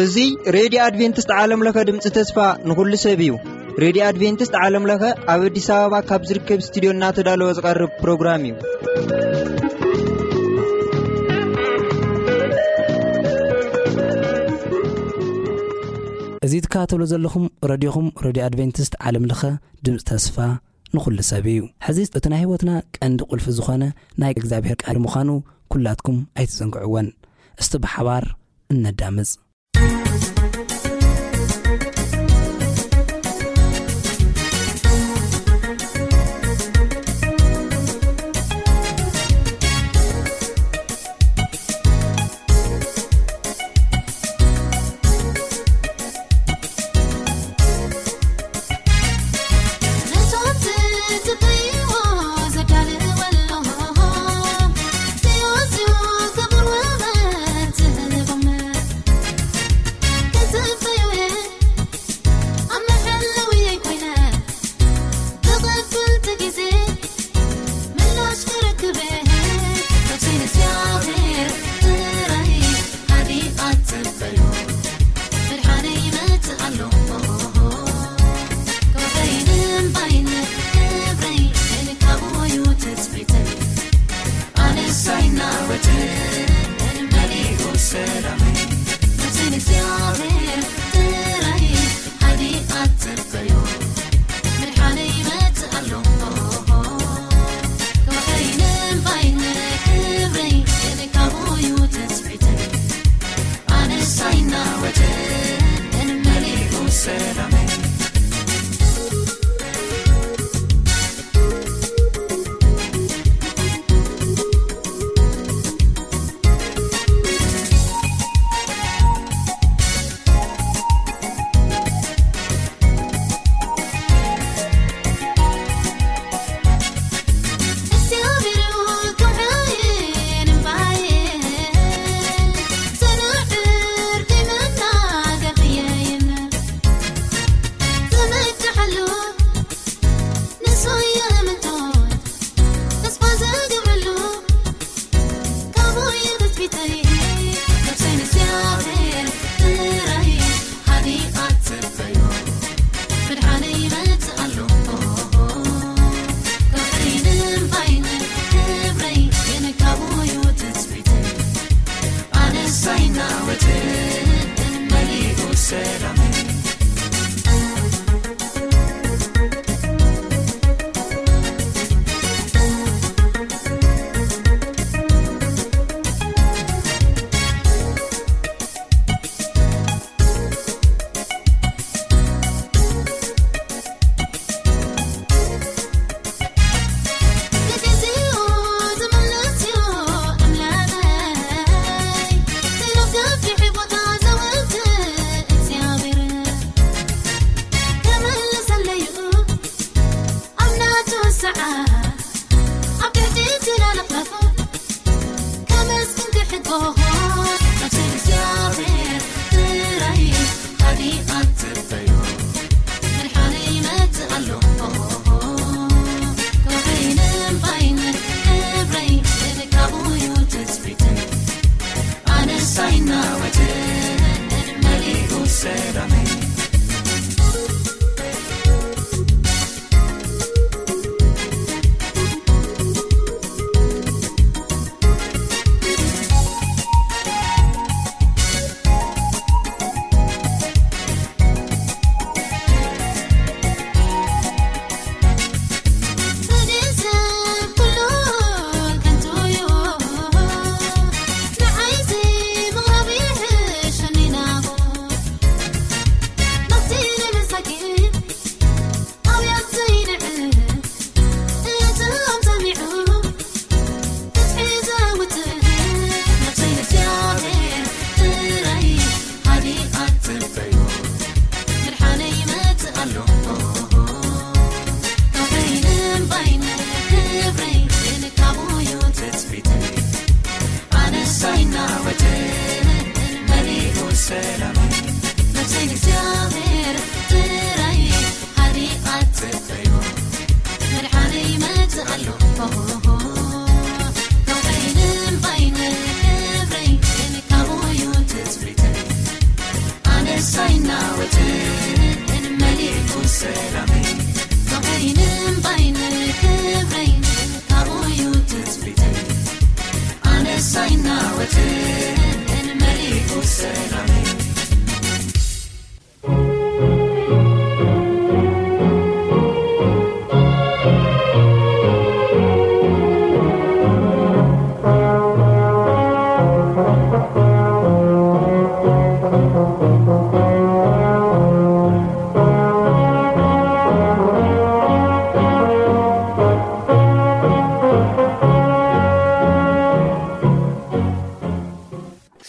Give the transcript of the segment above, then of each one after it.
እዚ ሬድዮ ኣድቬንቲስት ዓለም ለኸ ድምፂ ተስፋ ንኹሉ ሰብ እዩ። ሬድዮ ኣድቬንቲስት ዓለም ለኸ ኣብ ኣዲስ ኣበባ ካብ ዝርከብ ስቱዲዮ እናተዳለወ ዝቐርብ ፕሮግራም እዩ። እዚ ትከታተሉ ዘለኹም ረድዮኹም ሬድዮ ኣድቬንቲስት ዓለም ለኸ ድምፂ ተስፋ ንኹሉ ሰብ እዩ። ሕዚ እቲ ናይ ህይወትና ቀንዲ ቁልፊ ዝኾነ ናይ እግዚኣብሔር ቃል ምዃኑ ኩላትኩም ኣይትዘንግዕወን። እስቲ ብሓባር እነዳምፅ።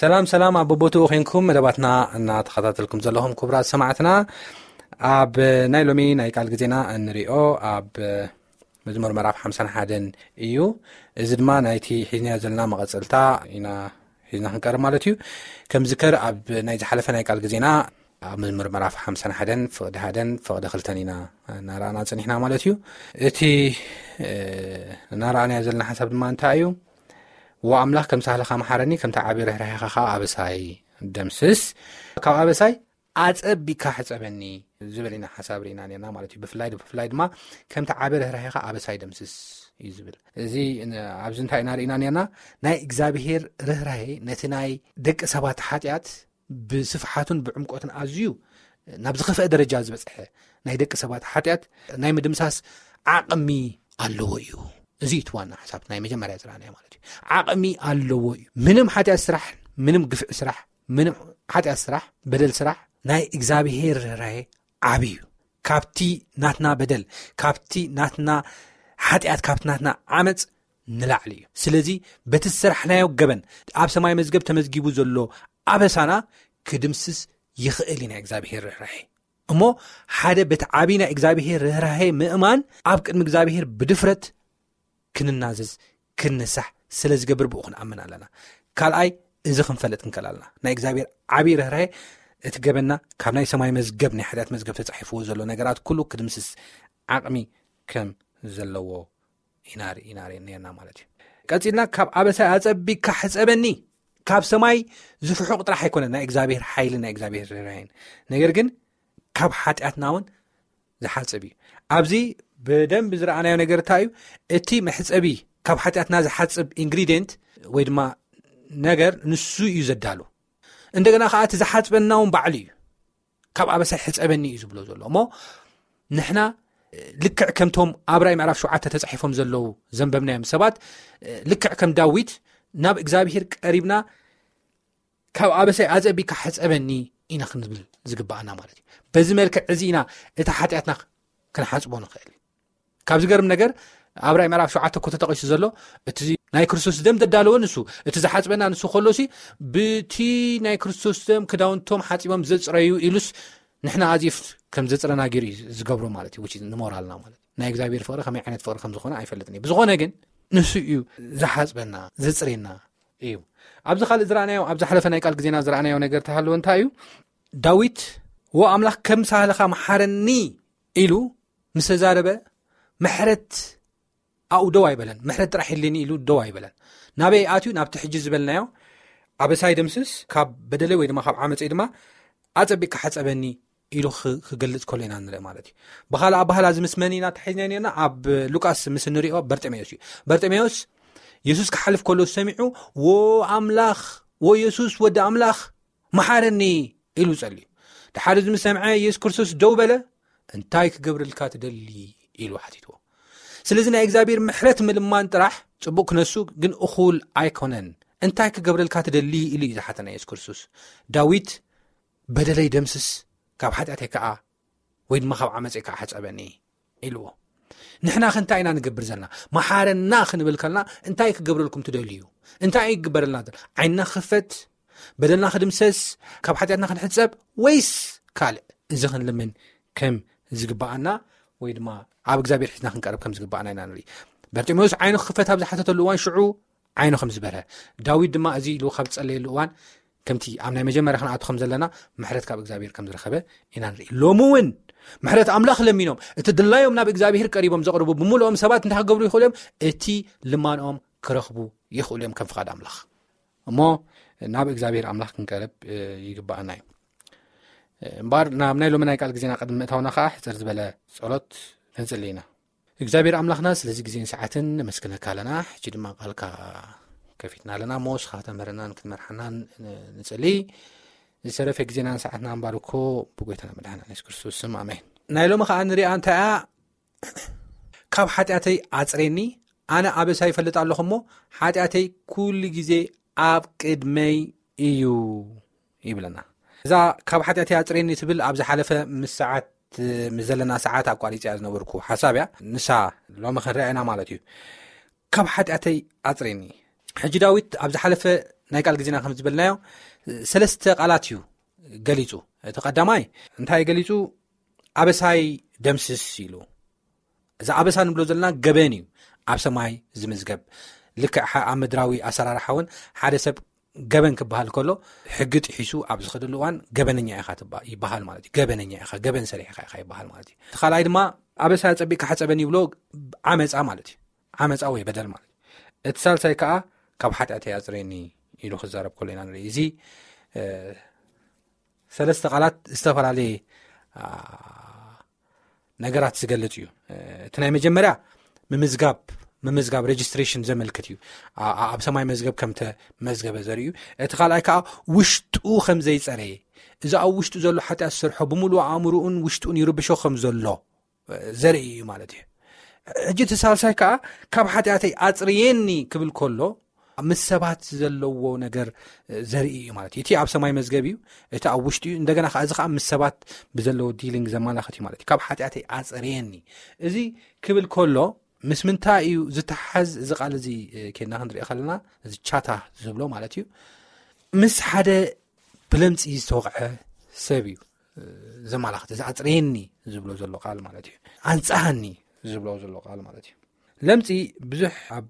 ሰላም ሰላም፣ ኣብ ቦቦትኡ ኮንኩም መደባትና እናተኸታተልኩም ዘለኹም ክቡራት ሰማዕትና፣ ኣብ ናይ ሎሚ ናይ ቃል ግዜና እንሪኦ ኣብ መዝሙር ምዕራፍ ሓምሳን ሓደን እዩ። እዚ ድማ ናይቲ ሒዝናዮ ዘለና መቐጸልታ ኢና ሒዝና ክንቀርብ ማለት እዩ። ከም ዝከር ኣብ ናይ ዝሓለፈ ናይ ቃል ግዜና ኣብ መዝሙር ምዕራፍ ሓምሳን ሓደን ፍቕዲ ሓደን ፍቕዲ ክልተን ኢና እናረኣና ጸኒሕና ማለት እዩ። እቲ እናረኣናዮ ዘለና ሓሳብ ድማ እንታይ እዩ? ወኣምላኽ ከም ሳህልኻ መሓረኒ፣ ከምቲ ዓቢ ርህራሄኻ ኸኣ ኣበሳይ ደምስስ። ካብ ኣበሳይ ኣጸቢካ ሕጸበኒ ዝብል ኢና ሓሳብ ርኢና ነርና ማለት እዩ። ብፍላይ ብፍላይ ድማ ከምቲ ዓቢ ርህራሄኻ ኣበሳይ ደምስስ እዩ ዝብል። እዚ ኣብዚ እንታይ ኢና ርኢና ነርና? ናይ እግዚኣብሄር ርህራሄ ነቲ ናይ ደቂ ሰባት ሓጢኣት ብስፍሓቱን ብዕምቆትን ኣዝዩ ናብ ዝኸፍአ ደረጃ ዝበጽሐ ናይ ደቂ ሰባት ሓጢኣት ናይ ምድምሳስ ዓቕሚ ኣለዎ እዩ። እዚ እቲ ዋና ሓሳብ ናይ መጀመርያ ዝረኣናዮ ማለት እዩ። ዓቕሚ ኣለዎ እዩ። ምንም ሓጢኣት ስራሕ፣ ምንም ግፍዒ ስራሕ፣ ምንም ሓጢኣት ስራሕ፣ በደል ስራሕ ናይ እግዚኣብሄር ርህራሄ ዓቢ እዩ። ካብቲ ናትና በደል፣ ካብቲ ናትና ሓጢኣት፣ ካብቲ ናትና ዓመፅ ንላዕሊ እዩ። ስለዚ በቲ ዝሰራሕናዮ ገበን ኣብ ሰማይ መዝገብ ተመዝጊቡ ዘሎ ኣበሳና ክድምስስ ይኽእል እዩ ናይ እግዚኣብሄር ርህራሄ። እሞ ሓደ በቲ ዓብዪ ናይ እግዚኣብሄር ርህራሄ ምእማን ኣብ ቅድሚ እግዚኣብሄር ብድፍረት ክንናዘዝ ክንንሳሕ ስለ ዝገብር ብኡ ክንኣምን ኣለና። ካልኣይ እዚ ክንፈልጥ ክንከል ኣለና። ናይ እግዚኣብሔር ዓብዪ ርህራሄ እቲ ገበና ካብ ናይ ሰማይ መዝገብ ናይ ሓጢኣት መዝገብ ተጻሒፍዎ ዘሎ ነገራት ኩሉ ክድምስስ ዓቕሚ ከም ዘለዎ ኢና ርኢና ርኢና ነርና ማለት እዩ። ቀጺልና ካብ ኣበሳይ ኣጸቢካ ሕጸበኒ። ካብ ሰማይ ዝፍሑቕ ጥራሕ ኣይኮነን ናይ እግዚኣብሔር ሓይልን ናይ እግዚኣብሔር ርህራሄን፣ ነገር ግን ካብ ሓጢኣትና እውን ዝሓጽብ እዩ። ኣብዚ ብደንብ ዝረኣናዮ ነገር እንታይ እዩ? እቲ መሕጸቢ ካብ ሓጢኣትና ዝሓጽብ ኢንግሪዲየንት ወይ ድማ ነገር ንሱ እዩ ዘዳሉ። እንደገና ከዓ እቲ ዝሓጽበና እውን ባዕሉ እዩ። ካብ ኣበሳይ ሕጸበኒ እዩ ዝብሎ ዘሎ። እሞ ንሕና ልክዕ ከምቶም ኣብ ራእይ ምዕራፍ ሸውዓተ ተጻሒፎም ዘለዉ ዘንበብናዮም ሰባት፣ ልክዕ ከም ዳዊት ናብ እግዚኣብሔር ቀሪብና ካብ ኣበሳይ ኣጸቢካ ሕጸበኒ ኢና ክንብል ዝግባኣና ማለት እዩ። በዚ መልክዕ እዚ ኢና እቲ ሓጢኣትና ክንሓጽቦ ንኽእል። ካብ ዝገርም ነገር ኣብ ራእይ ምዕራፍ ሸውዓተ እኮ ተጠቒሱ ዘሎ እቲ ናይ ክርስቶስ ደም ዘዳለወ ንሱ፣ እቲ ዝሓጽበና ንሱ ከሎሲ ብቲ ናይ ክርስቶስ ደም ክዳውንቶም ሓጺቦም ዘጽረዩ ኢሉስ ንሕና ኣዚፍ ከም ዘጽረና ገይሩ እዩ ዝገብሮ ማለት እዩ። ንሞራልና ማለት ናይ እግዚኣብሔር ፍቕሪ ከመይ ዓይነት ፍቕሪ ከም ዝኾነ ኣይፈልጥን እዩ። ብዝኾነ ግን ንሱ እዩ ዝሓጽበና ዘጽሬና እዩ። ኣብዚ ካልእ ዝረኣናዮ፣ ኣብ ዝሓለፈ ናይ ቃል ግዜና ዝረኣናዮ ነገር ተሃለወ እንታይ እዩ? ዳዊት ወ ኣምላኽ ከም ሳህልኻ መሓረኒ ኢሉ ምስ ተዛረበ ምሕረት ኣብኡ ደው ኣይበለን። ምሕረት ጥራሕ የድልየኒ ኢሉ ደው ኣይበለን። ናበይ ኣትዩ? ናብቲ ሕጂ ዝበልናዮ ኣበሳይ ደምስስ፣ ካብ በደለይ ወይ ድማ ካብ ዓመፀይ ድማ ኣፀቢቅካ ሓፀበኒ ኢሉ ክገልፅ ከሎ ኢና ንርኢ ማለት እዩ። ብካልእ ኣባህላ እዚ ምስ መን ኢና ተሓይዝና ነርና? ኣብ ሉቃስ ምስ እንሪኦ በርጤሜዎስ እዩ። በርጤሜዎስ የሱስ ክሓልፍ ከሎ ሰሚዑ፣ ወ ኣምላኽ፣ ወ የሱስ ወዲ ኣምላኽ መሓረኒ ኢሉ ጸልዩ። ድሓር እዚ ምስ ሰምዐ የሱስ ክርስቶስ ደው በለ። እንታይ ክገብረልካ ትደሊ ኢሉ ሓቲትዎ። ስለዚ ናይ እግዚኣብሔር ምሕረት ምልማን ጥራሕ ጽቡቕ ክነሱ ግን እኹል ኣይኮነን። እንታይ ክገብረልካ ትደሊ ኢሉ እዩ ዝሓተና የሱስ ክርስቶስ። ዳዊት በደለይ ደምስስ፣ ካብ ሓጢኣተይ ከዓ ወይ ድማ ካብ ዓመፀይ ከዓ ሕፀበኒ ኢልዎ። ንሕና ከ እንታይ ኢና ንገብር ዘለና? መሓረና ክንብል ከልና እንታይ ክገብረልኩም ትደልዩ? እንታይ እዩ ክግበረልና? ዓይንና ክኽፈት፣ በደልና ክድምሰስ፣ ካብ ሓጢኣትና ክንሕፀብ ወይስ ካልእ? እዚ ክንልምን ከም ዝግባኣና ወይ ድማ ኣብ እግዚኣብሔር ሒዝና ክንቀርብ ከም ዝግባኣና ኢና ንርኢ። በርጢሜዎስ ዓይኑ ክኽፈት ኣብ ዝሓተተሉ እዋን ሽዑ ዓይኑ ከም ዝበርሀ፣ ዳዊት ድማ እዚ ኢሉ ካብ ዝጸለየሉ እዋን ከምቲ ኣብ ናይ መጀመርያ ክንኣቱ ከም ዘለና ምሕረት ካብ እግዚኣብሔር ከም ዝረኸበ ኢና ንርኢ። ሎሚ እውን ምሕረት ኣምላኽ ለሚኖም እቲ ድላዮም ናብ እግዚኣብሔር ቀሪቦም ዘቕርቡ ብምልኦም ሰባት እንታይ ክገብሩ ይኽእሉ እዮም? እቲ ልማንኦም ክረኽቡ ይኽእሉ እዮም ከም ፍቓድ ኣምላኽ። እሞ ናብ እግዚኣብሔር ኣምላኽ ክንቀርብ ይግባኣና እዩ። እምበኣር ናብ ናይ ሎሚ ናይ ቃል ግዜና ቅድሚ ምእታውና ከዓ ሕፅር ዝበለ ጸሎት ክንጽሊ ኢና። እግዚኣብሔር ኣምላኽና ስለዚ ግዜን ሰዓትን ነመስግነካ ኣለና። ሕጂ ድማ ቃልካ ከፊትና ኣለና እሞ ንስኻ ተምህረናን ክትመርሓናን ንጽሊ። ዝተረፈ ግዜናን ሰዓትና እምባር እኮ ብጎይታና መድሓና የሱስ ክርስቶስ ስም ኣሜን። ናይ ሎሚ ከዓ ንሪኣ እንታይ እያ? ካብ ሓጢኣተይ ኣጽሬኒ፣ ኣነ ኣበሳ ይፈልጥ ኣለኹ እሞ ሓጢኣተይ ኩሉ ግዜ ኣብ ቅድመይ እዩ ይብለና። እዛ ካብ ሓጢኣተይ ኣጽሬኒ ትብል ኣብ ዝሓለፈ ምስ ሰዓት ምስ ዘለና ሰዓት ኣቋሪጽያ ዝነበርኩ ሓሳብ እያ። ንሳ ሎሚ ክንርያ ኢና ማለት እዩ። ካብ ሓጢኣተይ ኣጽሬኒ። ሕጂ ዳዊት ኣብ ዝሓለፈ ናይ ቃል ግዜና ከም ዝበልናዮ ሰለስተ ቃላት እዩ ገሊጹ። እቲ ቀዳማይ እንታይ ገሊጹ? ኣበሳይ ደምስስ ኢሉ። እዚ ኣበሳ ንብሎ ዘለና ገበን እዩ ኣብ ሰማይ ዝምዝገብ። ልክዕ ኣብ ምድራዊ ኣሰራርሓ እውን ሓደ ሰብ ገበን ክበሃል ከሎ ሕጊ ጥሒሱ ኣብ ዝኸደሉ እዋን ገበነኛ ኢኻ ይበሃል ማለት እዩ። ገበነኛ ኢኻ፣ ገበን ሰሪሕኻ ኢኻ ይበሃል ማለት እዩ። እቲ ካልኣይ ድማ ኣበሳ ጸቢቕካ ሕጸበኒ ይብሎ፣ ዓመፃ ማለት እዩ። ዓመፃ ወይ በደል ማለት እዩ። እቲ ሳልሳይ ከዓ ካብ ሓጢኣተይ ኣፅሬኒ ኢሉ ክዛረብ ከሎ ኢና ንርኢ። እዚ ሰለስተ ቃላት ዝተፈላለየ ነገራት ዝገልጽ እዩ። እቲ ናይ መጀመርያ ምምዝጋብ ምምዝጋብ ሬጅስትሬሽን ዘመልክት እዩ። ኣብ ሰማይ መዝገብ ከም ተመዝገበ ዘርኢ እዩ። እቲ ካልኣይ ከዓ ውሽጡ ከም ዘይጸረየ፣ እዚ ኣብ ውሽጡ ዘሎ ሓጢኣት ዝሰርሖ ብምሉእ ኣእምርኡን ውሽጡን ይርብሾ ከም ዘሎ ዘርኢ እዩ ማለት እዩ። ሕጂ እቲ ሳልሳይ ከዓ ካብ ሓጢኣተይ ኣጽርየኒ ክብል ከሎ ምስ ሰባት ዘለዎ ነገር ዘርኢ እዩ ማለት እዩ። እቲ ኣብ ሰማይ መዝገብ እዩ፣ እቲ ኣብ ውሽጡ እዩ። እንደገና ከዓ እዚ ከዓ ምስ ሰባት ብዘለዎ ዲሊንግ ዘመላኽት እዩ ማለት እዩ። ካብ ሓጢኣተይ ኣጽርየኒ እዚ ክብል ከሎ ምስ ምንታይ እዩ ዝተሓዝ? እዚ ቃል እዚ ኬድና ክንሪኦ ከለና እዚ ቻታ ዝብሎ ማለት እዩ ምስ ሓደ ብለምፂ ዝተወቕዐ ሰብ እዩ ዘመላኽት። እዚ ኣፅርየኒ ዝብሎ ዘሎ ቃል ማለት እዩ። ኣንፃሃኒ ዝብሎ ዘሎ ቃል ማለት እዩ። ለምፂ ብዙሕ ኣብ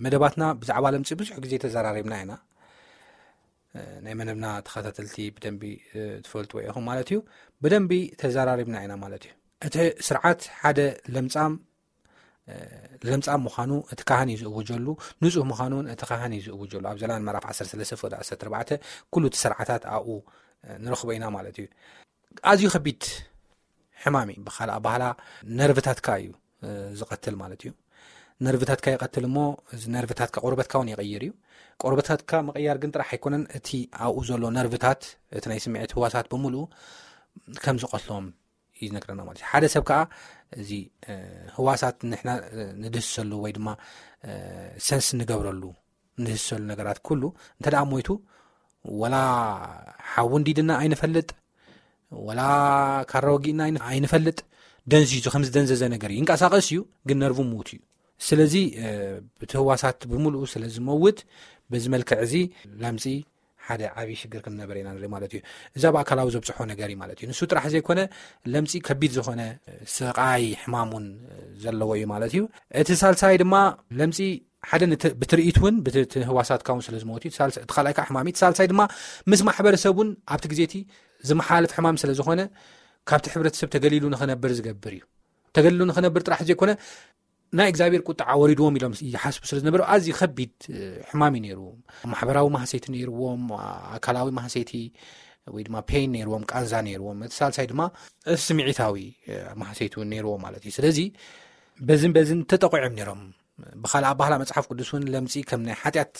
መደባትና ብዛዕባ ለምፂ ብዙሕ ግዜ ተዘራሪብና ኢና። ናይ መደብና ተኸታተልቲ ብደንቢ ትፈልጥዎ ኢኹም ማለት እዩ። ብደንቢ ተዘራሪብና ኢና ማለት እዩ። እቲ ስርዓት ሓደ ለምፃም ለምፃም ምዃኑ እቲ ካህን እዩ ዝእውጀሉ፣ ንፁህ ምዃኑ እውን እቲ ካህን እዩ ዝእውጀሉ። ኣብ ዘላን ምዕራፍ ዓሰርተ ሰለስተ ፍቕዲ ዓሰርተ ኣርባዕተ ኩሉ እቲ ስርዓታት ኣብኡ ንረኽቦ ኢና ማለት እዩ። ኣዝዩ ከቢድ ሕማም እዩ። ብኻልእ ኣባህላ ነርቭታትካ እዩ ዝቐትል ማለት እዩ። ነርቭታትካ ይቐትል እሞ እዚ ነርቭታትካ ቆርበትካ እውን ይቕይር እዩ። ቆርበታትካ ምቕያር ግን ጥራሕ ኣይኮነን፣ እቲ ኣብኡ ዘሎ ነርቭታት፣ እቲ ናይ ስምዒት ህዋሳት ብምሉኡ ከም ዝቐትሎም እዩ ዝነግረና ማለት እዩ። ሓደ ሰብ ከዓ እዚ ህዋሳት ንሕና ንድህሰሉ ወይ ድማ ሰንስ ንገብረሉ ንድህሰሉ ነገራት ኩሉ እንተ ደኣ ሞይቱ፣ ወላ ሓዊ እንዲድና ኣይንፈልጥ፣ ወላ ካራ ወጊእና ኣይንፈልጥ። ደንዚዙ ከም ዝደንዘዘ ነገር እዩ። ይንቀሳቐስ እዩ፣ ግን ነርቡ ምዉት እዩ። ስለዚ ብቲ ህዋሳት ብምሉኡ ስለ ዝመውት፣ በዚ መልክዕ እዚ ለምፂ ሓደ ዓብዪ ሽግር ከም ነበረ ኢና ንርኢ ማለት እዩ። እዛ ብኣካላዊ ዘብፅሖ ነገር እዩ ማለት እዩ። ንሱ ጥራሕ ዘይኮነ ለምፂ ከቢድ ዝኾነ ስቓይ ሕማም እውን ዘለዎ እዩ ማለት እዩ። እቲ ሳልሳይ ድማ ለምፂ ሓደ ብትርኢት እውን ብቲ ህዋሳትካ እውን ስለ ዝመወት እዩ። እቲ ካልኣይ ከዓ ሕማም እዩ። እቲ ሳልሳይ ድማ ምስ ማሕበረሰብ እውን ኣብቲ ግዜ እቲ ዝመሓላለፍ ሕማም ስለ ዝኾነ ካብቲ ሕብረተሰብ ተገሊሉ ንኽነብር ዝገብር እዩ። ተገሊሉ ንኽነብር ጥራሕ ዘይኮነ ናይ እግዚኣብሔር ቁጣ ወሪድዎም ኢሎም ይሓስቡ ስለ ዝነበሩ ኣዝዩ ከቢድ ሕማም እዩ ነይሩ። ማሕበራዊ ማህሰይቲ ነይርዎም፣ ኣካላዊ ማህሰይቲ ወይ ድማ ፔን ነይርዎም፣ ቃንዛ ነይርዎም። እቲ ሳልሳይ ድማ ስምዒታዊ ማህሰይቲ እውን ነይርዎም ማለት እዩ። ስለዚ በዝን በዝን ተጠቂዖም ነይሮም። ብኻልእ ኣባህላ መጽሓፍ ቅዱስ እውን ለምጺ ከም ናይ ሓጢኣት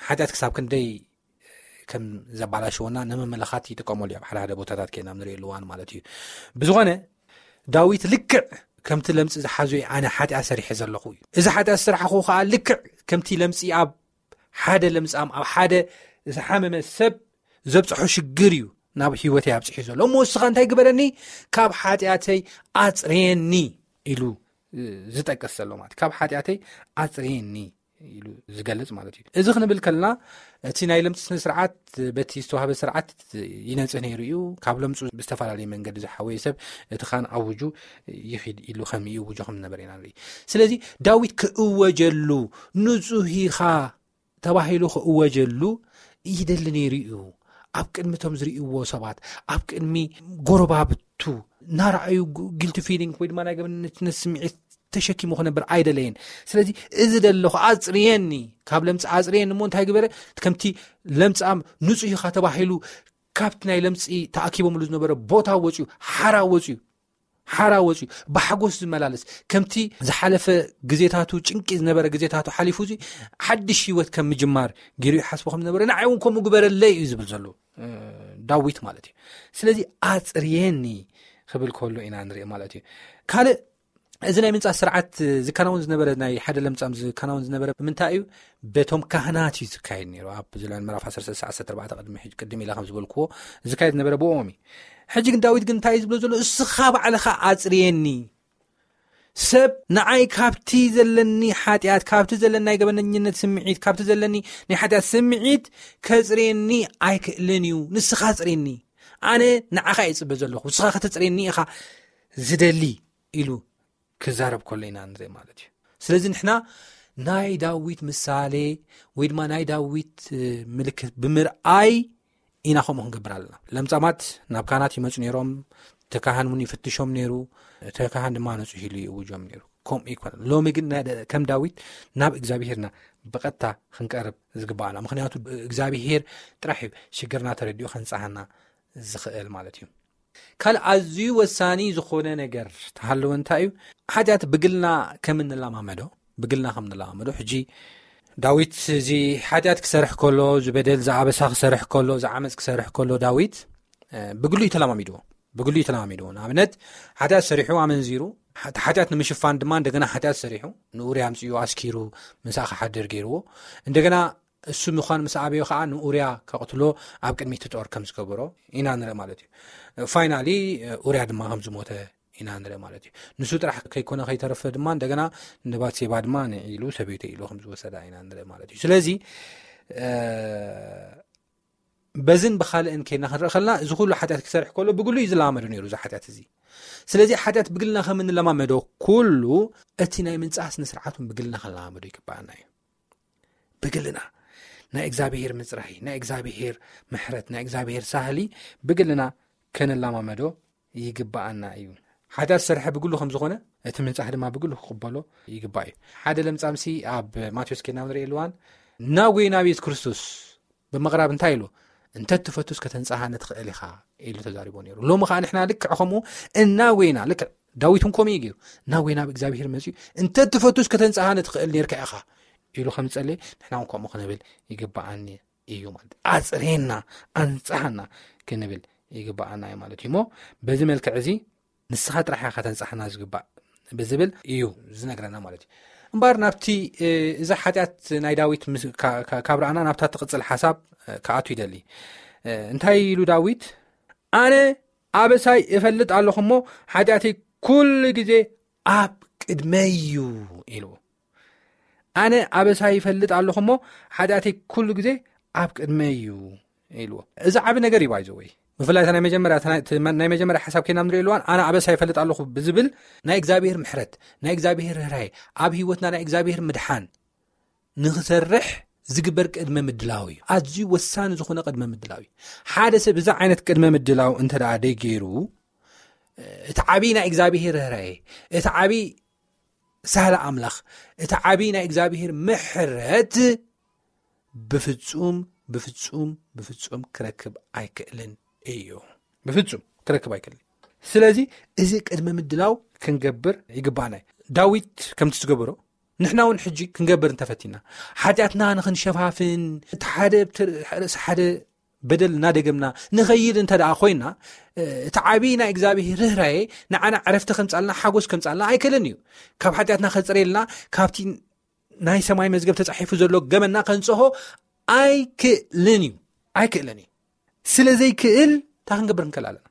ሓጢኣት ክሳብ ክንደይ ከም ዘባላሸወና ንምምልኻት ይጥቀመሉ እዩ። ኣብ ሓደ ሓደ ቦታታት ከይና ንርእየሉ እዋን ማለት እዩ። ብዝኾነ ዳዊት ልክዕ ከምቲ ለምጺ ዝሓዞ ኣነ ሓጢኣት ሰሪሐ ዘለኹ እዩ። እዚ ሓጢኣት ዝሰራሕኹ ከዓ ልክዕ ከምቲ ለምጺ ኣብ ሓደ ለምጻም ኣብ ሓደ ዝሓመመ ሰብ ዘብጽሖ ሽግር እዩ ናብ ህይወተይ ኣብጽሒ ዘሎ። እሞ እስኻ እንታይ ግበረኒ? ካብ ሓጢኣተይ ኣጽርየኒ ኢሉ ዝጠቅስ ዘሎ ማለት ካብ ሓጢኣተይ ኣጽርየኒ ኢሉ ዝገልጽ ማለት እዩ። እዚ ክንብል ከልና እቲ ናይ ለምጺ ስነ ስርዓት በቲ ዝተዋህበ ስርዓት ይነጽህ ነይሩ እዩ። ካብ ለምጹ ብዝተፈላለየ መንገዲ ዝሓወየ ሰብ እቲ ካን ኣውጁ ይኺድ ኢሉ ከም ይእውጆ ከም ዝነበረ ኢና ንርኢ። ስለዚ ዳዊት ክእወጀሉ ንጹህ ኢኻ ተባሂሉ ክእወጀሉ ይደሊ ነይሩ እዩ። ኣብ ቅድሚ እቶም ዝርእይዎ ሰባት፣ ኣብ ቅድሚ ጎረባብቱ እናረኣዩ ጊልቲ ፊሊንግ ወይ ድማ ናይ ገበንነት ስምዒት ተሸኪሙ ክነብር ኣይደለየን። ስለዚ እዚ ደለኹ ኣጽርየኒ፣ ካብ ለምጺ ኣጽርየኒ እሞ እንታይ ግበረ? ከምቲ ለምጻም ንጹህ ኢኻ ተባሂሉ ካብቲ ናይ ለምጺ ተኣኪቦምሉ ዝነበረ ቦታ ወጽዩ፣ ሓራ ወጽዩ፣ ሓራ ወጽዩ ብሓጎስ ዝመላለስ፣ ከምቲ ዝሓለፈ ግዜታቱ ጭንቂ ዝነበረ ግዜታቱ ሓሊፉ እዚ ሓድሽ ህይወት ከም ምጅማር ገይሩ ይሓስቦ ከም ዝነበረ ንዓይ እውን ከምኡ ግበረለይ እዩ ዝብል ዘሎ ዳዊት ማለት እዩ። ስለዚ ኣጽርየኒ ክብል ከሎ ኢና ንርኢ ማለት እዩ። ካልእ እዚ ናይ ምንጻት ስርዓት ዝከናወን ዝነበረ ናይ ሓደ ለምጻም ዝከናወን ዝነበረ ብምንታይ እዩ? በቶም ካህናት እዩ ዝካየድ ነይሩ። ኣብ ዝላን ምዕራፍ ዓሰርተ ሰዓት ዓሰርተ ኣርባዕተ ቅድሚ ሕጂ ቅድም ኢለ ከም ዝበልክዎ ዝካየድ ዝነበረ ብኦም እዩ። ሕጂ ግን ዳዊት ግን እንታይ እዩ ዝብሎ ዘሎ? እስኻ ባዕልኻ ኣጽርየኒ፣ ሰብ ንዓይ ካብቲ ዘለኒ ሓጢኣት፣ ካብቲ ዘለኒ ናይ ገበነኝነት ስምዒት፣ ካብቲ ዘለኒ ናይ ሓጢኣት ስምዒት ከጽርየኒ ኣይክእልን እዩ። ንስኻ ጽርየኒ፣ ኣነ ንዓኻ እየ ዝጽበ ዘለኹ፣ ንስኻ ከተጽርየኒ ኢኻ ዝደሊ ኢሉ ክዛረብ ከሎ ኢና ንርኢ ማለት እዩ። ስለዚ ንሕና ናይ ዳዊት ምሳሌ ወይ ድማ ናይ ዳዊት ምልክት ብምርኣይ ኢና ከምኡ ክንገብር ኣለና። ለምጻማት ናብ ካህናት ይመጹ ነይሮም፣ እቲ ካህን እውን ይፍትሾም ነይሩ። እቲ ካህን ድማ ንጹህ ኢሉ ይእውጆም ነይሩ። ከምኡ ይኮነ። ሎሚ ግን ከም ዳዊት ናብ እግዚኣብሄርና ብቐጥታ ክንቀርብ ዝግባኣና፣ ምክንያቱ እግዚኣብሄር ጥራሕ እዩ ሽግርና ተረዲኡ ከንጻሃና ዝኽእል ማለት እዩ። ካልእ ኣዝዩ ወሳኒ ዝኾነ ነገር ተሃለወ እንታይ እዩ? ሓጢኣት ብግልና ከም እንለማመዶ፣ ብግልና ከም እንለማመዶ። ሕጂ ዳዊት እዚ ሓጢኣት ክሰርሕ ከሎ፣ ዝበደል ዝኣበሳ ክሰርሕ ከሎ፣ ዝዓመፅ ክሰርሕ ከሎ ዳዊት ብግሉ እዩ ተለማሚድዎ። ብግሉ እዩ ተለማሚድዎ። ንኣብነት ሓጢኣት ሰሪሑ ኣመንዚሩ፣ ሓጢኣት ንምሽፋን ድማ እንደገና ሓጢኣት ሰሪሑ፣ ንኡርያ ኣምፅኡ ኣስኪሩ ምሳእ ክሓድር ገይርዎ። እንደገና እሱ ምዃን ምስ ኣበዮ ከዓ ንኡርያ ከቕትሎ ኣብ ቅድሚ እቲ ጦር ከም ዝገበሮ ኢና ንርኢ ማለት እዩ። ፋይናሊ ኡርያ ድማ ከም ዝሞተ ኢና ንርኢ ማለት እዩ። ንሱ ጥራሕ ከይኮነ ከይተረፈ ድማ እንደገና ንባትሴባ ድማ ንዒሉ ሰበይተ ኢሉ ከም ዝወሰዳ ኢና ንርኢ ማለት እዩ። ስለዚ በዝን ብኻልእን ከይና ክንርኢ ከለና እዚ ኩሉ ሓጢኣት ክሰርሕ ከሎ ብግሉ እዩ ዝለማመዶ ነይሩ እዚ ሓጢኣት እዚ። ስለዚ ሓጢኣት ብግልና ከም እንለማመዶ ኩሉ እቲ ናይ ምንጻህ ስነ ስርዓቱን ብግልና ክንለማመዶ ይግባኣና እዩ። ብግልና ናይ እግዚኣብሄር ምጽራይ፣ ናይ እግዚኣብሄር ምሕረት፣ ናይ እግዚኣብሄር ሳህሊ ብግልና ከነላማመዶ ይግባኣና እዩ። ሓጢኣት ዝሰርሐ ብግሉ ከም ዝኾነ እቲ ምንጻህ ድማ ብግሉ ክቕበሎ ይግባእ እዩ። ሓደ ለምጻምሲ ኣብ ማቴዎስ ከይና ንርኢ ኣለዋን ናብ ጎይና ቤት ክርስቶስ ብምቕራብ እንታይ ኢሉ? እንተ ትፈቱስ ከተንጻሃኒ ትኽእል ኢኻ ኢሉ ተዛሪቦ ነይሩ። ሎሚ ኸዓ ንሕና ልክዕ ከምኡ እናጎይና፣ ልክዕ ዳዊት እውን ከምኡ እዩ ገይሩ። እናጎይና ኣብ እግዚኣብሄር መጺኡ እንተ ትፈቱስ ከተንጻሃኒ ትኽእል ነርካ ኢኻ ኢሉ ከም ዝጸለየ ንሕና እውን ከምኡ ክንብል ይግባኣኒ እዩ ማለት። ኣጽሬና፣ ኣንጻሃና ክንብል ይግባኣና እዩ ማለት እዩ። እሞ በዚ መልክዕ እዚ ንስኻ ጥራሕ ኢኻ ከተንጻህና ዝግባእ ብዝብል እዩ ዝነግረና ማለት እዩ። እምበኣር ናብቲ እዛ ሓጢኣት ናይ ዳዊት ካብ ረኣና ናብታ ትቕጽል ሓሳብ ክኣቱ ይደሊ። እንታይ ኢሉ ዳዊት? ኣነ ኣበሳይ እፈልጥ ኣለኹ እሞ ሓጢኣተይ ኩሉ ግዜ ኣብ ቅድመይ እዩ ኢሉ። ኣነ ኣበሳይ ይፈልጥ ኣለኹ እሞ ሓጢኣተይ ኩሉ ግዜ ኣብ ቅድመይ እዩ ኢልዎ። እዚ ዓቢ ነገር እዩ ባይዘወይ። ብፍላይ ናይ መጀመርያ ናይ መጀመርያ ሓሳብ ከይና ንሪኦ ኣለዋን ኣነ ኣበሳ ይፈልጥ ኣለኹ ብዝብል ናይ እግዚኣብሔር ምሕረት፣ ናይ እግዚኣብሔር ርህራሄ፣ ኣብ ህይወትና ናይ እግዚኣብሔር ምድሓን ንኽሰርሕ ዝግበር ቅድመ ምድላው እዩ። ኣዝዩ ወሳኒ ዝኾነ ቅድመ ምድላው እዩ። ሓደ ሰብ እዚ ዓይነት ቅድመ ምድላው እንተ ደኣ ደይገይሩ እቲ ዓቢ ናይ እግዚኣብሔር ርህራሄ፣ እቲ ዓቢ ሳህለ ኣምላኽ፣ እቲ ዓቢ ናይ እግዚኣብሔር ምሕረት ብፍጹም ብፍጹም ብፍጹም ክረክብ ኣይክእልን እዩ። ብፍጹም ክረክብ ኣይክእልን። ስለዚ እዚ ቅድመ ምድላው ክንገብር ይግባና እዩ። ዳዊት ከምቲ ዝገበሮ ንሕና እውን ሕጂ ክንገብር እንተፈቲና ሓጢኣትና ንኽንሸፋፍን እቲ ሓደ ርእሲ ሓደ በደል እናደገምና ንኸይድ እንተ ደኣ ኮይና እቲ ዓብዪ ናይ እግዚኣብሔር ርህራሄ ንዓና ዕረፍቲ ከምጻልና ሓጎስ ከምጻልና ኣይክእልን እዩ። ካብ ሓጢኣትና ከጽረየልና ካብቲ ናይ ሰማይ መዝገብ ተጻሒፉ ዘሎ ገመና ከንጽሆ ኣይክእልን እዩ። ኣይክእልን እዩ። ስለ ዘይክእል እንታይ ክንገብር ንክእል ኣለና?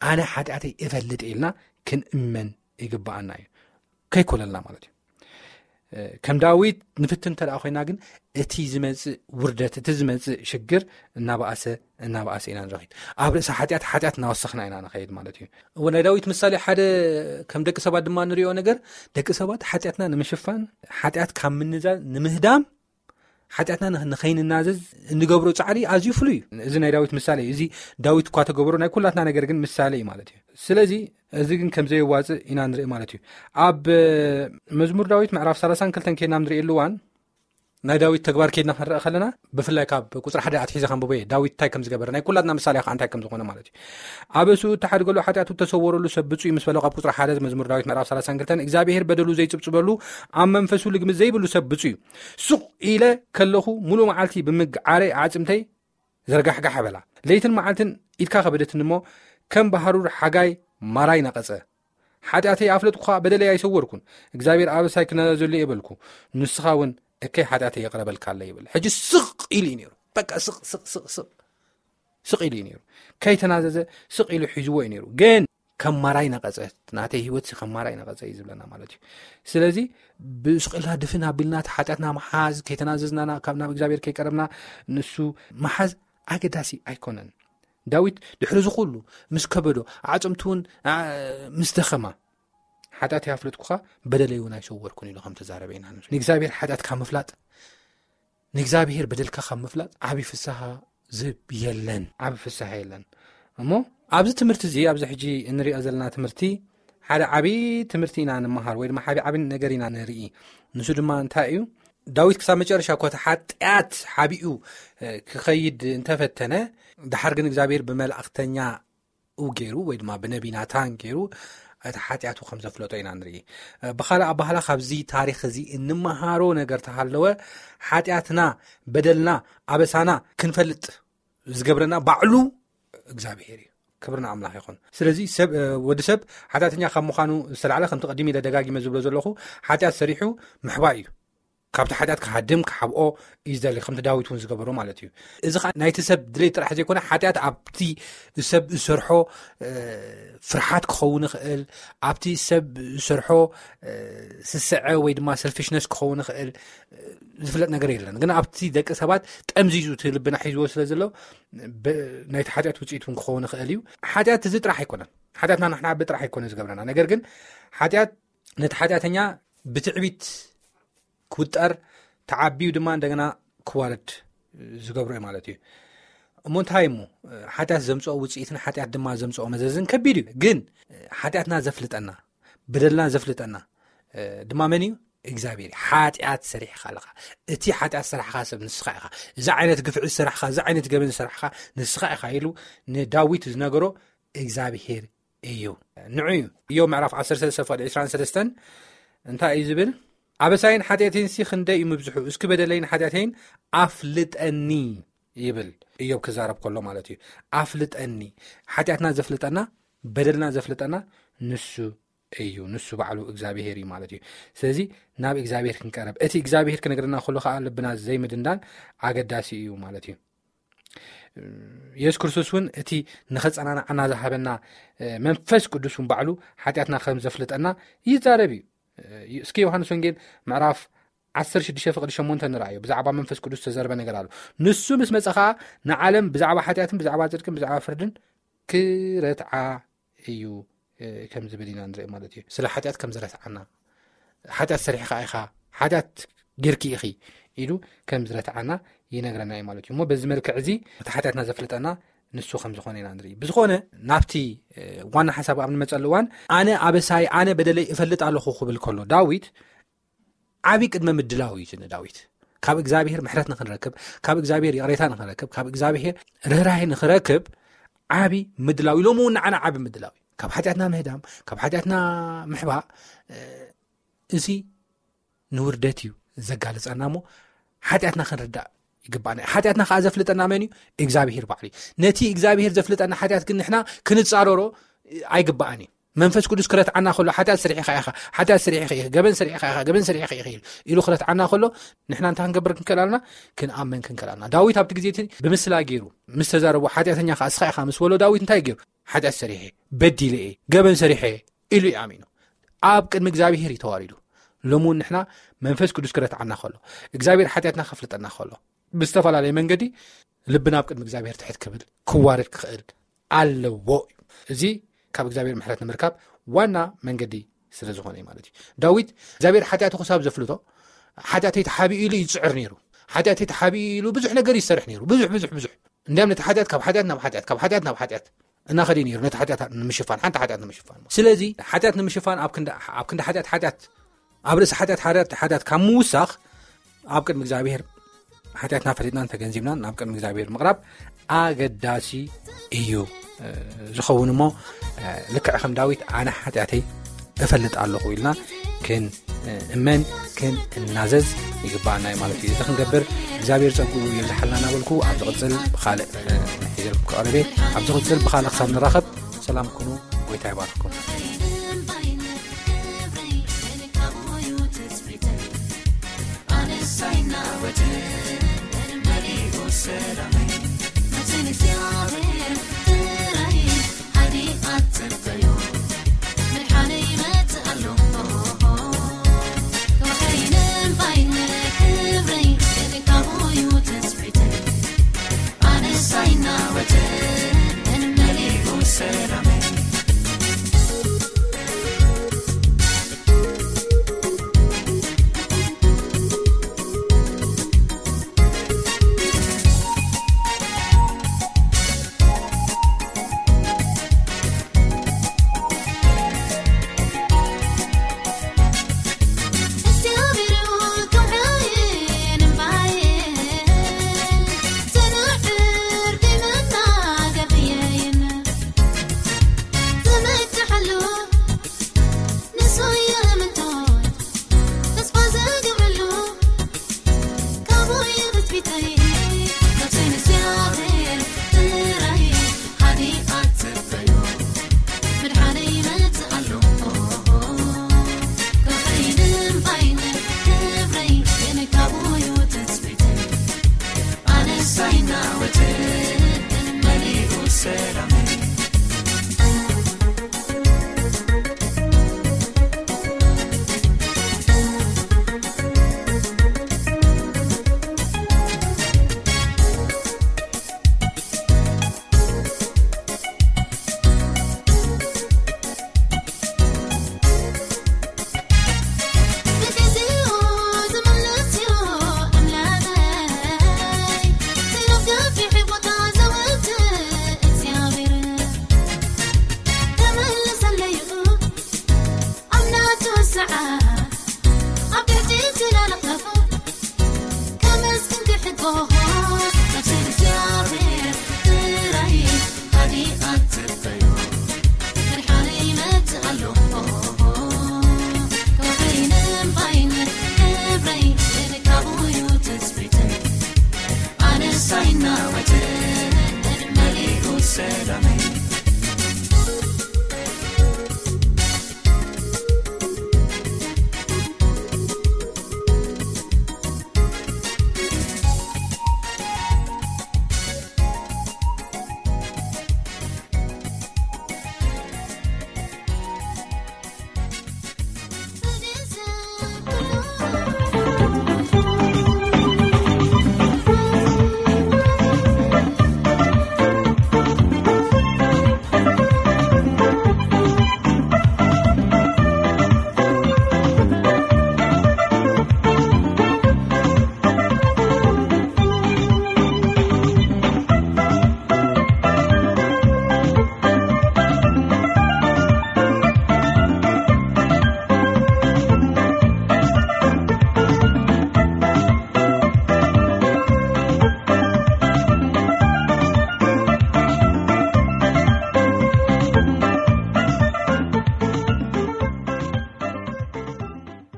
ኣነ ሓጢኣተይ እፈልጥ ኢልና ክንእመን ይግባኣና እዩ። ከይኮለልና ማለት እዩ። ከም ዳዊት ንፍትን እንተ ደኣ ኮይና ግን እቲ ዝመጽእ ውርደት፣ እቲ ዝመጽእ ሽግር እናበኣሰ እናበኣሰ ኢና ንረኺድ። ኣብ ርእሲ ሓጢኣት ሓጢኣት እናወሰኽና ኢና ንኸይድ ማለት እዩ። እወ ናይ ዳዊት ምሳሌ ሓደ ከም ደቂ ሰባት ድማ ንሪኦ ነገር ደቂ ሰባት ሓጢኣትና ንምሽፋን ሓጢኣት ካብ ምንዛዝ ንምህዳም ሓጢኣትና ንኸይንናዘዝ እንገብሮ ጻዕሪ ኣዝዩ ፍሉይ እዩ። እዚ ናይ ዳዊት ምሳሌ እዩ። እዚ ዳዊት እኳ ተገብሮ ናይ ኩላትና ነገር ግን ምሳሌ እዩ ማለት እዩ። ስለዚ እዚ ግን ከም ዘየዋጽእ ኢና ንርኢ ማለት እዩ። ኣብ መዝሙር ዳዊት ምዕራፍ ሰላሳን ክልተን ከይድና ንርእየሉ እዋን ናይ ዳዊት ተግባር ከይድና ክንረአ ከለና ብፍላይ ካብ ቁጽሪ ሓደ ኣትሒዘ ከንብቦ እየ። ዳዊት እንታይ ከም ዝገበረ ናይ ኩላትና ምሳሌ ከዓ እንታይ ከም ዝኾነ ማለት እዩ። ኣበስኡ እተሓድገሉ ሓጢኣቱ እተሰወረሉ ሰብ ብፁዕ እዩ ምስ በሎ ካብ ቁጽሪ ሓደ መዝሙር ዳዊት ምዕራፍ ሰላሳን ክልተን እግዚኣብሔር በደሉ ዘይጽብጽበሉ ኣብ መንፈሱ ልግምት ዘይብሉ ሰብ ብፁዕ እዩ። ሱቕ ኢለ ከለኹ ሙሉእ መዓልቲ ብምግዓረይ ኣዕጽምተይ ዘርጋሕጋሕ በላ። ለይትን መዓልትን ኢድካ ከበደትኒ እሞ ከም ብሃሩር ሓጋይ ማራይ ነቐጸ። ሓጢኣተይ ኣፍለጥኩኻ፣ በደለይ ኣይሰወርኩን። እግዚኣብሔር ኣበሳይ ክናዘዘሉ እየ በልኩ፣ ንስኻ እውን እከይ ሓጢኣተይ የቕረበልካ ኣለ ይብል። ሕጂ ስቕ ኢሉ እዩ ነይሩ። በቃ ስቕ ስቕ ስቕ ስቕ ስቕ ኢሉ እዩ ነይሩ። ከይተናዘዘ ስቕ ኢሉ ሒዝዎ እዩ ነይሩ። ግን ከም ማራይ ነቐጸ፣ ናተይ ህይወት ከም ማራይ ነቐጸ እዩ ዝብለና ማለት እዩ። ስለዚ ብስቕልና ድፍን ኣቢልና እቲ ሓጢኣትና መሓዝ፣ ከይተናዘዝና ናብ እግዚኣብሔር ከይቀረብና ንሱ መሓዝ ኣገዳሲ ኣይኮነን። ዳዊት ድሕሪ ዝኹሉ ምስ ከበዶ ኣዕፅምቲ እውን ምስ ደኸማ ሓጢኣት ያፍለጥኩኻ በደለይ እውን ኣይሰወርኩን ኢሉ ከም ተዛረበ ኢና ንግዛብሔር ሓጢኣት ካብ ምፍላጥ ንእግዚኣብሔር በደልካ ካብ ምፍላጥ ዓብዪ ፍስሃ ዝህብ የለን። ዓብዪ ፍስሃ የለን። እሞ ኣብዚ ትምህርቲ እዚ ኣብዚ ሕጂ እንሪኦ ዘለና ትምህርቲ ሓደ ዓብዪ ትምህርቲ ኢና ንምሃር ወይ ድማ ሓቢ ዓብዪ ነገር ኢና ንርኢ። ንሱ ድማ እንታይ እዩ? ዳዊት ክሳብ መጨረሻ እኮ እቲ ሓጢኣት ሓቢኡ ክኸይድ እንተፈተነ፣ ድሓር ግን እግዚኣብሔር ብመላእክተኛ ኡ ገይሩ ወይ ድማ ብነቢ ናታን ገይሩ እቲ ሓጢኣቱ ከም ዘፍለጦ ኢና ንርኢ። ብኻልእ ኣባህላ ካብዚ ታሪኽ እዚ እንመሃሮ ነገር ተሃለወ፣ ሓጢኣትና፣ በደልና፣ ኣበሳና ክንፈልጥ ዝገብረና ባዕሉ እግዚኣብሔር እዩ። ክብርና ኣምላኽ ይኹን። ስለዚ ሰብ ወዲ ሰብ ሓጢኣተኛ ካብ ምዃኑ ዝተላዕለ ከምቲ ቀዲም ኢለ ደጋጊመ ዝብሎ ዘለኹ ሓጢኣት ሰሪሑ ምሕባእ እዩ። ካብቲ ሓጢኣት ክሃድም ክሓብኦ እዩ ዝደሊ፣ ከምቲ ዳዊት እውን ዝገበሮ ማለት እዩ። እዚ ከዓ ናይቲ ሰብ ድሌት ጥራሕ ዘይኮነ ሓጢኣት ኣብቲ ሰብ ዝሰርሖ ፍርሓት ክኸውን ይኽእል፣ ኣብቲ ሰብ ዝሰርሖ ስስዐ ወይ ድማ ሰልፊሽነስ ክኸውን ይኽእል፣ ዝፍለጥ ነገር የለን። ግን ኣብቲ ደቂ ሰባት ጠምዚዙ እቲ ልብና ሒዝዎ ስለ ዘሎ ናይቲ ሓጢኣት ውፅኢት እውን ክኸውን ይኽእል እዩ። ሓጢኣት እዚ ጥራሕ ኣይኮነን፣ ሓጢኣትና ንሕና ዓቢ ጥራሕ ኣይኮነ ዝገብረና። ነገር ግን ሓጢኣት ነቲ ሓጢኣተኛ ብትዕቢት ክውጠር ተዓቢዩ ድማ እንደገና ክዋረድ ዝገብሮ እዩ ማለት እዩ። እሞ እንታይ እሞ ሓጢኣት ዘምፅኦ ውፅኢትን ሓጢኣት ድማ ዘምፅኦ መዘዝን ከቢድ እዩ። ግን ሓጢኣትና ዘፍልጠና በደልና ዘፍልጠና ድማ መን እዩ? እግዚኣብሔር። ሓጢኣት ሰሪሕካ ኣለኻ፣ እቲ ሓጢኣት ዝሰራሕካ ሰብ ንስኻ ኢኻ፣ እዚ ዓይነት ግፍዒ ዝሰራሕካ፣ እዚ ዓይነት ገበን ዝሰራሕካ ንስኻ ኢኻ ኢሉ ንዳዊት ዝነገሮ እግዚኣብሔር እዩ። ንዑ እዩ። እዮብ ምዕራፍ ዓሰርተ ሰለስተ ፍቕዲ ዕስራን ሰለስተን እንታይ እዩ ዝብል? ኣበሳይን ሓጢኣተይንሲ ክንደይ እዩ ምብዝሑ፣ እስኪ በደለይን ሓጢኣተይን ኣፍልጠኒ ይብል እዮብ ክዛረብ ከሎ ማለት እዩ። ኣፍልጠኒ። ሓጢኣትና ዘፍልጠና በደልና ዘፍልጠና ንሱ እዩ፣ ንሱ ባዕሉ እግዚኣብሄር እዩ ማለት እዩ። ስለዚ ናብ እግዚኣብሄር ክንቀረብ፣ እቲ እግዚኣብሄር ክነግረና ከሎ ከዓ ልብና ዘይምድንዳን ኣገዳሲ እዩ ማለት እዩ። የሱስ ክርስቶስ እውን እቲ ንኸጸናንዓና ዝሃበና መንፈስ ቅዱስ እውን ባዕሉ ሓጢኣትና ከም ዘፍልጠና ይዛረብ እዩ። እስኪ ዮሃንስ ወንጌል ምዕራፍ ዓሰርተ ሽዱሽተ ፍቕዲ ሸሞንተ ንርኣዮ። ብዛዕባ መንፈስ ቅዱስ ዝተዘርበ ነገር ኣሎ። ንሱ ምስ መጸ ኸዓ ንዓለም ብዛዕባ ሓጢኣትን ብዛዕባ ጽድቅን ብዛዕባ ፍርድን ክረትዓ እዩ ከም ዝብል ኢና ንርኢ ማለት እዩ። ስለ ሓጢኣት ከም ዝረትዓና፣ ሓጢኣት ሰሪሕኻ ኢኻ፣ ሓጢኣት ጌርኪ ኢኺ ኢሉ ከም ዝረትዓና ይነግረና እዩ ማለት እዩ። እሞ በዚ መልክዕ እዚ እቲ ሓጢኣትና ዘፍልጠና ንሱ ከም ዝኾነ ኢና ንርኢ። ብዝኾነ ናብቲ ዋና ሓሳብ ኣብ ንመጸሉ እዋን ኣነ ኣበሳይ ኣነ በደለይ እፈልጥ ኣለኹ ክብል ከሎ ዳዊት ዓቢ ቅድመ ምድላው እዩ ንዳዊት። ካብ እግዚኣብሔር ምሕረት ንኽንረክብ፣ ካብ እግዚኣብሔር ይቕሬታ ንኽንረክብ፣ ካብ እግዚኣብሔር ርህራሄ ንኽረክብ ዓቢ ምድላው እዩ። ሎሚ እውን ንዓና ዓቢ ምድላው እዩ። ካብ ሓጢኣትና ምህዳም፣ ካብ ሓጢኣትና ምሕባእ፣ እዚ ንውርደት እዩ ዘጋልጸና እሞ ሓጢኣትና ክንርዳእ ይግባኣና። ሓጢኣትና ከዓ ዘፍልጠና መን እዩ? እግዚኣብሔር ባዕሉ እዩ። ነቲ እግዚኣብሔር ዘፍልጠና ሓጢኣት ግን ንሕና ክንጻረሮ ኣይግባኣን እዩ። መንፈስ ቅዱስ ክረትዓና ከሎ ሓጢኣት ስሪሕኻ ኢኻ፣ ሓጢኣት ስሪሕኻ ኢኻ፣ ገበን ስሪሕኻ ኢኻ፣ ገበን ስሪሕኻ ኢኻ ኢሉ፣ ኢሉ ክረትዓና ከሎ ንሕና እንታይ ክንገብር ክንክእል ኣለና? ክንኣመን ክንክእል ኣለና። ዳዊት ኣብቲ ግዜ እቲ ብምስላ ገይሩ ምስ ተዛረቦ ሓጢኣተኛ ከዓ እስኻ ኢኻ ምስ በሎ ዳዊት እንታይ ገይሩ? ሓጢኣት ሰሪሐ፣ በዲለ እየ፣ ገበን ሰሪሐ እየ ኢሉ እዩ ኣሚኑ። ኣብ ቅድሚ እግዚኣብሔር እዩ ተዋሪዱ። ሎሚ እውን ንሕና መንፈስ ቅዱስ ክረትዓና ከሎ እግዚኣብሔር ሓጢኣትና ከፍልጠና ከሎ ብዝተፈላለየ መንገዲ ልብና ኣብ ቅድሚ እግዚኣብሔር ትሕት ክብል ክዋረድ ክኽእል ኣለዎ እዩ። እዚ ካብ እግዚኣብሔር ምሕረት ንምርካብ ዋና መንገዲ ስለ ዝኾነ እዩ ማለት እዩ። ዳዊት እግዚኣብሔር ሓጢኣቱ ክሳብ ዘፍልጦ ሓጢኣተይ ተሓቢኡ ኢሉ ይፅዕር ነይሩ። ሓጢኣተይ ተሓቢኡ ኢሉ ብዙሕ ነገር ይሰርሕ ነይሩ። ብዙሕ ብዙሕ ብዙሕ እንዲያም ነቲ ሓጢኣት ካብ ሓጢኣት ናብ ሓጢኣት ካብ ሓጢኣት ናብ ሓጢኣት እናኸደ ነይሩ፣ ነቲ ሓጢኣት ንምሽፋን፣ ሓንቲ ሓጢኣት ንምሽፋን። ስለዚ ሓጢኣት ንምሽፋን ኣብ ክንዲ ኣብ ክንዲ ሓጢኣት ሓጢኣት ኣብ ርእሲ ሓጢኣት ሓጢኣት ሓጢኣት ካብ ምውሳኽ ኣብ ቅድሚ እግዚኣብሔር ሓጢኣትና ፈሊጥናን ተገንዚብናን ናብ ቅድሚ እግዚኣብሔር ምቕራብ ኣገዳሲ እዩ ዝኸውን። እሞ ልክዕ ከም ዳዊት ኣነ ሓጢኣተይ እፈልጥ ኣለኹ ኢልና ክን እመን ክን እናዘዝ ይግባኣና እዩ ማለት እዩ። እዚ ክንገብር እግዚኣብሔር ጸግኡ የብዝሓልና እናበልኩ ኣብ ዝቕጽል ብኻልእ ሒዘልኩም ክቐርብ እየ። ኣብ ዝቕጽል ብኻልእ ክሳብ ንራኸብ ሰላም ኩኑ። ጎይታ ይባርኩም።